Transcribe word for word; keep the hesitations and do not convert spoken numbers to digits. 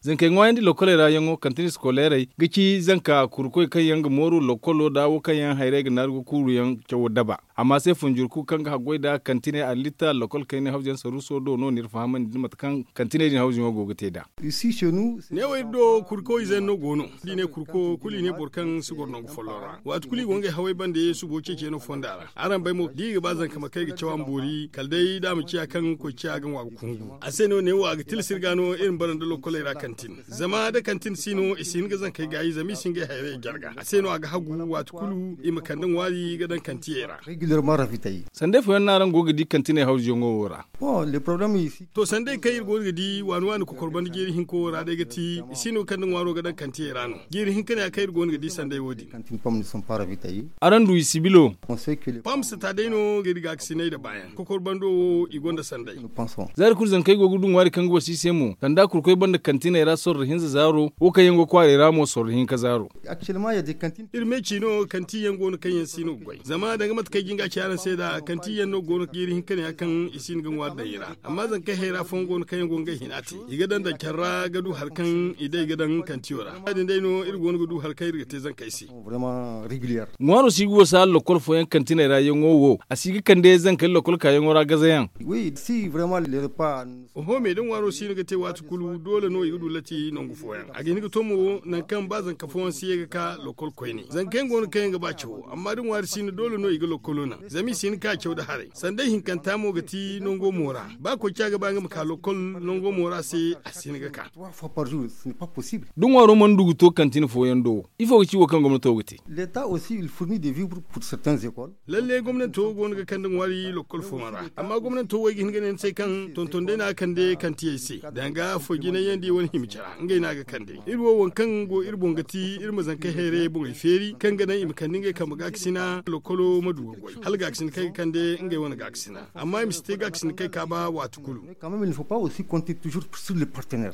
Zankey ŋwaayandi lokoley ra yaŋo kantin iskoleerey ga ci zanka kurkoy kaŋ yaŋ ga mooru lokolo nda wo kaŋ yaŋ hayray ga naaru ga kuuru yaŋ cawo daba. Amma se funjur kulu kaŋ ga haggoy nda kantiney allitta lokol kaynay hawzuyaŋ saruuso do no ni iri fahamandi nda mate kaŋ kantiney din hawzuyaŋo go ga te nd'a. Neewo iri do kurko ize yaŋ no go no. Da i ne kurko kulu i ne boro kaŋ si goro nangu folloŋ ra waati kulu i go ngey hawey bande subo ceeciyaŋo fonda ra. Araŋ bay mo da i ga ba zanka ma kay ga caw a ma boori kala day da a ma ciya kaŋ koy ciya ga ŋwa ga kungu. A se no neewo a ga tilas iri ga no iri ma bara nda lokoley ra kantin. Zama da kantin si no i si hin ga zankey gaayi zama i si ngey hayray jarga a se no a ga hagu waati kulu i ma kande ŋwaari ga daŋ kantiyey ra. Sanday fooyaŋ no araŋ go ga di kantiney hawzuyaŋo wo ra. To sanday kaŋ iri go no ga di waani waani kokor banda jeeri hinka wo ra day ga ti i si no kaŋ nda ŋwaaro ga daŋ kantiyey ra no. Jeeri hinka ne ya kaŋ iri go no ga di sanday wo- din. Araŋ du i sibilo. Pam sata day no ga iri gaakasinay nda baayaŋ kokor bando wo i gonda sanday. Za iri kulu zankey go ga du ŋwaari kaŋ ga wasa i se mo sanda kurkoy banda kantiney ra sorro hinza zaaro wo kaŋ yaŋ go kwaaray ra mo sorro hinka zaaro. Iri me ci no kanti yaŋ go no kaŋ yaŋ si no ga goy zama danga mate kaŋ ay jin ga a ci araŋ se nd'a kanti yaŋ no go no ga iri hin ka ne ya kaŋ i si hin ga ŋwaari daŋ i ra. Amma zankey hayra fooyaŋ go no kaŋ yaŋ go ngey hina te i ga daŋ daŋ care ra ga du hari kaŋ i day ga daŋ kantiyo ra ya- din day no iri go no ga du hari kaŋ iri ga te zankey se. Ŋwaaro si ga wasa lokol fooyaŋ kantiney ra yaŋo wo a si ga kande zankey lokol kaayaŋo ra gazayaŋ. Oho me da ŋwaaro si no ga te waati kulu doole no i ga du latti nangu fooyaŋ a ga hin ga to mo nangu kaŋ ba zanka fooyaŋ si ye ga ka lokol koyne zanka yaŋ go no kaŋ yaŋ ga ba cawo amma da ŋwaari si no doole no i ga lokolo naŋ zama i si hin ka caw nda haray sanda ihinkanta mo ga ti nango mo ra. Ba koy ca ga ba nga ma ka lokol nango mo ra se a si hin ga ka. Da ŋwaaro mana du ga to kantin fooyaŋ do ifo ga ci wo kaŋ gomnato ga te? Lalle gomnanto go no ga kande ŋwaari lokol fooyaŋ ra amma gomnanto wo ay ga hin ga ne ni se kaŋ tonton day no a ga kande kantiyey se danga foy jinay yaŋ da i wane hima care ngey no a ga kande. Iri wo waŋ kaŋ go iri boŋ ga ti iri ma zankey hayray boŋey feeri kaŋ ga naŋ i ma kande ngey kambe gaakasina lokolo ma du ga goy hala gaakasina kaŋ ay ga kande ngey wane gaakasina amma i ma si te gaakasina kaŋ ay ka ba waati kulu.